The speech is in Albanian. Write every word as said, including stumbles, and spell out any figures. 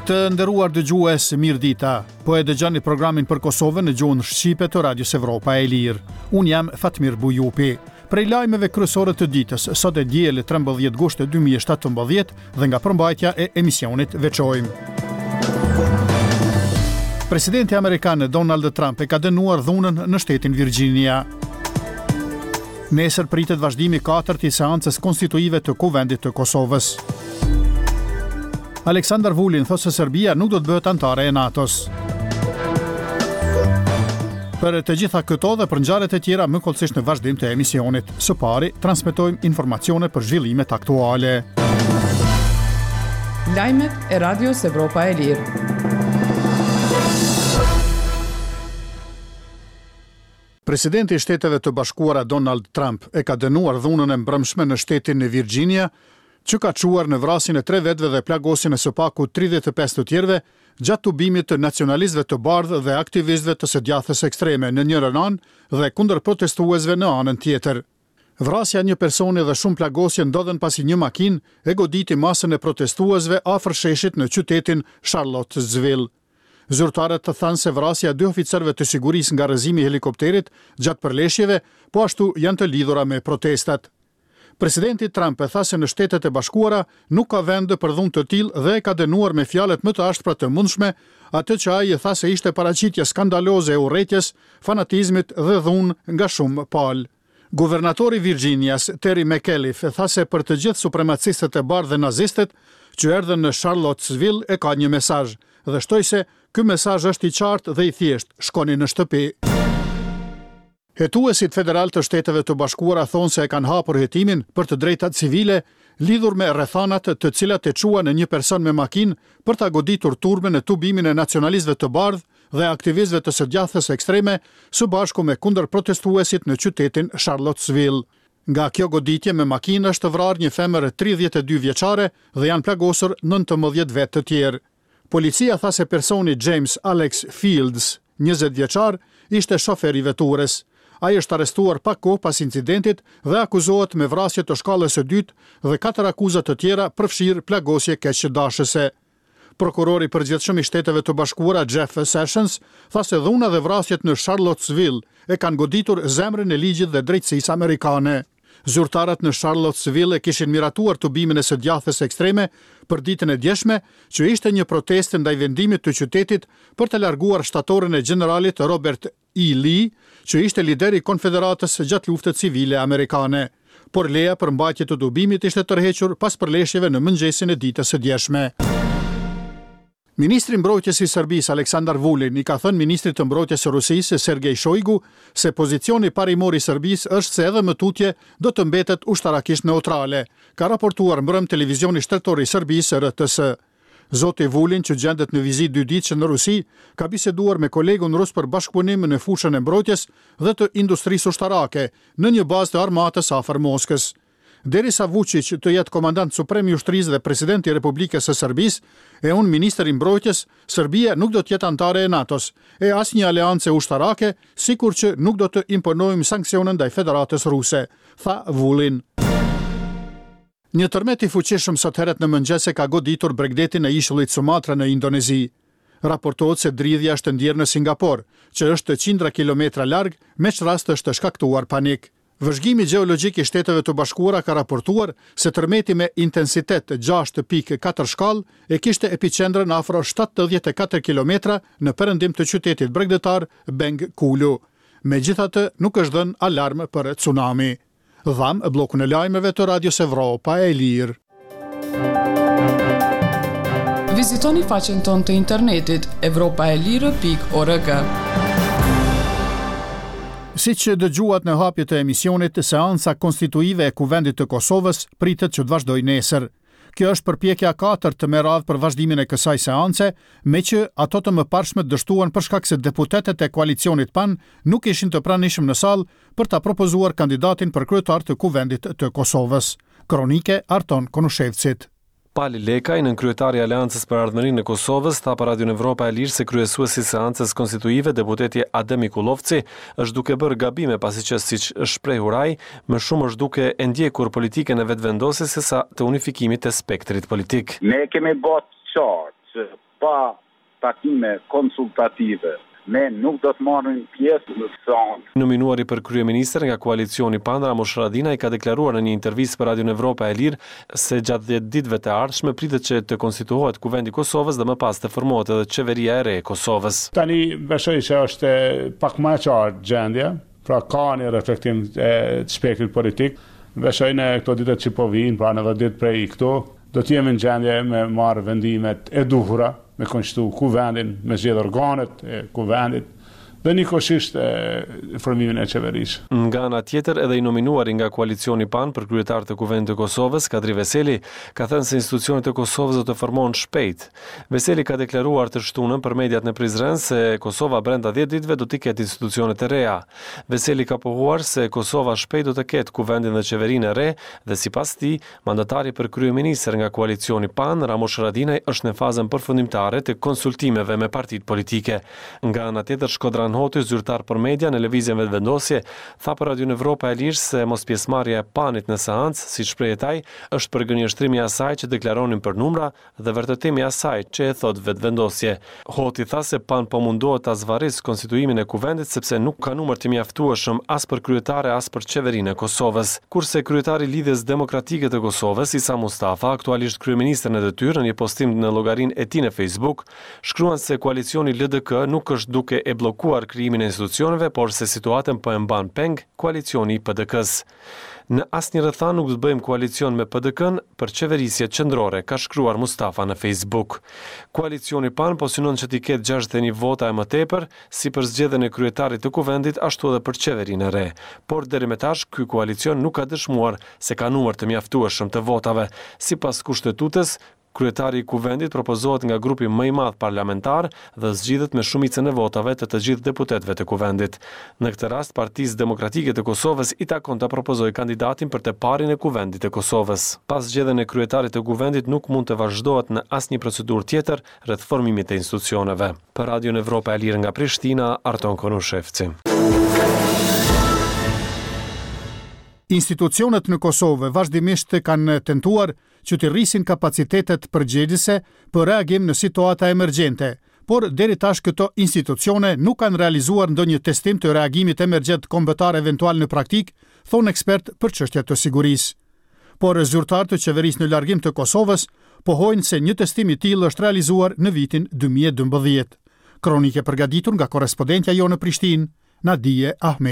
Të nderuar dëgjues, mirë dita. Po e dëgjoni programin për Kosovën në gjuhën shqipe të Radios Evropa e Lirë. Unë jam Fatmir Bujupi. Prej lajmeve kryesore të ditës, sot e diel trembëdhjetë gusht dy mijë e shtatëmbëdhjetë dhe nga përmbajtja e emisionit veçojmë. Presidenti amerikan Donald Trump e ka dënuar dhunën në shtetin Virginia. Nesër pritet vazhdimi i katërt i seancës konstituive të Kuvendit të Kosovës. Aleksandar Vulin thotë se Serbia nuk do të bëhet anëtare e NATO-s. Për të gjitha këto dhe për ngjarjet e tjera më hollësisht në vazhdim të emisionit. Së pari, transmetojmë informacione për zhvillimet aktuale. Lajmet e Radios Evropa e Lirë. Presidenti i Shteteve të Bashkuara Donald Trump e ka dënuar dhunën e mbrëmshme në shtetin e Virginia, që ka çuar në vrasjen e tre vetëve dhe plagosjen e së paku tridhjetë e pesë të tjerëve gjatë tubimit të nacionalistëve të bardhë dhe aktivistëve të së djathtës ekstreme në njërën anë dhe kundër protestuesve në anën tjetër. Vrasja e një personi dhe shumë plagosje ndodhën pasi një makinë e goditi masën e protestuesve afër sheshit në qytetin Charlottesville. Zyrtarët thanë se vrasja e dy oficerëve të sigurisë nga rrëzimi i helikopterit gjatë përleshjeve po ashtu janë të lidhura me protestat. Presidenti Trump e tha se në Shtetet e Bashkuara nuk ka vend për dhunë të tillë dhe e ka dënuar me fjalët më të ashpra të mundshme atë që ai e tha se ishte paraqitje skandaloze e urrejtjes, fanatizmit dhe dhunë nga shumë palë. Guvernatori i Virginias, Terry McAuliffe, tha se për të gjithë supremacistët e bardhë dhe nazistët që erdhën në Charlottesville e ka një mesazh dhe shtoi se ky mesazh është i qartë dhe i thjeshtë, shkoni në shtëpi. Hetuesit federal të Shteteve të Bashkuara thonë se e kanë hapur hetimin për të drejtat civile lidhur me rrethanat të cilat e çuan në një person me makinë për ta goditur turmën në tubimin e nacionalistëve të bardhë dhe aktivistëve të së djathtës ekstreme së bashku me kundërprotestuesit në qytetin Charlottesville. Nga kjo goditje me makinë është vrarë një femër tridhjetë e dy vjeçare dhe janë plagosur nëntëmbëdhjetë vetë të tjerë. Policia tha se personi James Alex Fields, njëzet vjeçar, ishte shofer i veturës. Ai është arrestuar pak kohë pas incidentit dhe akuzohet me vrasje të shkallës së dytë dhe katër akuza të tjera përfshirë plagosje keqdashëse. Prokurori i përgjithshëm i Shteteve të Bashkuara Jeff Sessions tha se dhuna dhe vrasjet në Charlottesville e kanë goditur zemrën e ligjit dhe drejtësisë amerikane. Zyrtarët në Charlottesville e kishin miratuar tubimin e së djathtës ekstreme për ditën e djeshme, që ishte një protestë ndaj vendimit të qytetit për të larguar shtatorin e gjeneralit Robert E. Lee, që ishte lideri i Konfederatës gjatë luftës civile amerikane. Por leja për mbajtje të tubimit ishte tërhequr pas përleshjeve në mëngjesin e ditës së djeshme. Ministri i Mbrojtjes i Serbisë Aleksandar Vulin i ka thënë ministrit të Mbrojtjes së Rusisë Sergej Shoigu se pozicioni parimor i Serbisë është se edhe më tutje do të mbetet ushtarakisht neutrale, ka raportuar mbrëm televizioni shtetëror i Serbisë R T S. Zoti Vulin, që gjendet në vizitë dy ditëshe në Rusi, ka biseduar me kolegun rus për bashkëpunim në fushën e mbrojtjes dhe të industrisë ushtarake në një bazë të armatës afër Moskës. Derisa Vučić të jetë komandant suprem i ushtrisë dhe presidenti i Republikës së Serbisë, e unë ministër i mbrojtjes, Serbia nuk do të jetë anëtare e NATO-s, e asnjë aleancë ushtarake, sikur që nuk do të imponojmë sanksione ndaj Federatës Ruse, tha Vulin. Një tërmet i fuqishëm sot herët në mëngjes e ka goditur bregdetin e ishullit Sumatra në Indonezi. Raportohet se dridhja është ndjerë në Singapor, që është qindra kilometra larg, me ç'rast është shkaktuar panik. Vëzhgimi gjeologjik i Shteteve të Bashkuara ka raportuar se tërmeti me intensitet gjashtë pikë katër shkallë e kishte epiqendrën afro shtatëdhjetë e katër kilometra në perëndim të qytetit bregdetar Bengkulu. Megjithatë, nuk është dhënë alarm për tsunami. Dham bllokun e lajmeve të Radios Evropa e Lirë. Vizitoni faqen tonë të internetit evropa e lirë pikë org. Si që dëgjuat në hapje të emisionit, seanca konstituive e Kuvendit të Kosovës pritet që të vazhdojë nesër. Kjo është përpjekja e katërt me radhë për vazhdimin e kësaj seance, me që ato të mëparshme dështuan për shkak se deputetët e koalicionit P A N nuk ishin të pranishëm në sallë për ta propozuar kandidatin për kryetar të Kuvendit të Kosovës. Kronike Arton Konushevcit. Pali Lekaj, nënkryetari i Aleancës për Ardhmërinë e Kosovës, tha për Radion Evropa e Lirë se kryesuesi i seancës konstituive, deputeti Adem Mikullovci, është duke bërë gabime pasi që, siç është shprehur ai, më shumë është duke e ndjekur politikën e vetëvendosjes sesa të unifikimit të spektrit politik. Ne kemi bërë qartë që Pa takime konsultative ne nuk do të marrim pjesë në seancë. Nominuari për kryeministër nga koalicioni PAN, Ramush Haradinaj, ka deklaruar në një intervistë për Radion Evropa e Lirë se gjatë dhjetë ditëve të ardhshme pritet që të konstituohet Kuvendi i Kosovës dhe më pas të formohet edhe Qeveria e re e Kosovës. Tani besoj se është pak më e qartë gjendja, pra ka një reflektim të spektrit politik. Besoj në këto ditët që po vijnë, pra në dhjetë ditë prej këtu, do të jemi në gjendje me marrë vendimet e duhura, me konstitu kuvendin, me zgjedh organet e kuvendit dhe njëkohësisht formimin e qeverisë. Nga ana tjetër, edhe i nominuari nga koalicioni PAN për kryetar të Kuvendit të Kosovës, Kadri Veseli, ka thënë se institucionet e Kosovës do të formohen shpejt. Veseli ka deklaruar të shtunën për mediat në Prizren se Kosova brenda dhjetë ditëve do t'i ketë institucionet e reja. Veseli ka pohuar se Kosova shpejt do të ketë Kuvendin dhe qeverinë e re dhe sipas tij, mandatari për kryeministër nga koalicioni PAN, Ramush Haradinaj, është në fazën përfundimtare të konsultimeve me partitë politike. Nga ana tjetër, Shkodran Hoti, zyrtar për media në Lëvizjen Vetëvendosje, tha për Radion Evropa e Lirë se mospjesëmarrja e PAN-it në seancë, siç shprehet ai, është përgënjeshtrimi i asaj që deklaronin për numra dhe vërtetimi i asaj që e thotë Vetëvendosje. Hoti tha se PAN po mundohet ta zvarrisë konstituimin e Kuvendit sepse nuk ka numër të mjaftueshëm as për kryetare as për qeverinë e Kosovës. Kurse kryetari i Lidhjes Demokratike të Kosovës, Isa Mustafa, aktualisht kryeministër në detyrë, në një postim në llogarinë e tij në Facebook, shkruan se koalicioni L D K nuk është duke e bllokuar krijimin e institucioneve, por se situatën po e mban peng koalicioni i P D K-s. Në asnjë rrethanë nuk do të bëjmë koalicion me P D K-n për qeverisje qendrore, ka shkruar Mustafa në Facebook. Koalicioni PAN po synon që t'i ketë gjashtëdhjetë e një vota e më tepër, si për zgjedhjen e kryetarit të Kuvendit, ashtu edhe për qeverinë e re. Por deri më tash, ky koalicion nuk ka dëshmuar se ka numër të mjaftueshëm të votave. Sipas Kushtetutës, kryetari i Kuvendit propozohet nga grupi më i madh parlamentar dhe zgjidhet me shumicën e votave të të gjithë deputetëve të Kuvendit. Në këtë rast, Partisë Demokratike të Kosovës i takon ta propozojë kandidatin për të parin e Kuvendit të Kosovës. Pas zgjedhjen e kryetarit të Kuvendit nuk mund të vazhdohet në asnjë procedurë tjetër rreth formimit të institucioneve. Për Radion Evropa e Lirë nga Prishtina, Arton Konushevci. Institucionet në Kosovë vazhdimisht kanë tentuar që t'i rrisin kapacitetet përgjegjëse për reagim në situata emergjente, por deri tash këto institucione nuk kanë realizuar ndonjë testim të reagimit emergjent kombëtar eventual në praktikë, thonë ekspertë për çështje të sigurisë. Por zyrtarë të qeverisë në largim të Kosovës pohojnë se një testim i tillë është realizuar në vitin dy mijë e dymbëdhjetë. Kronike përgatitur nga korrespondentja jonë në Prishtinë, Nadie Ahmed.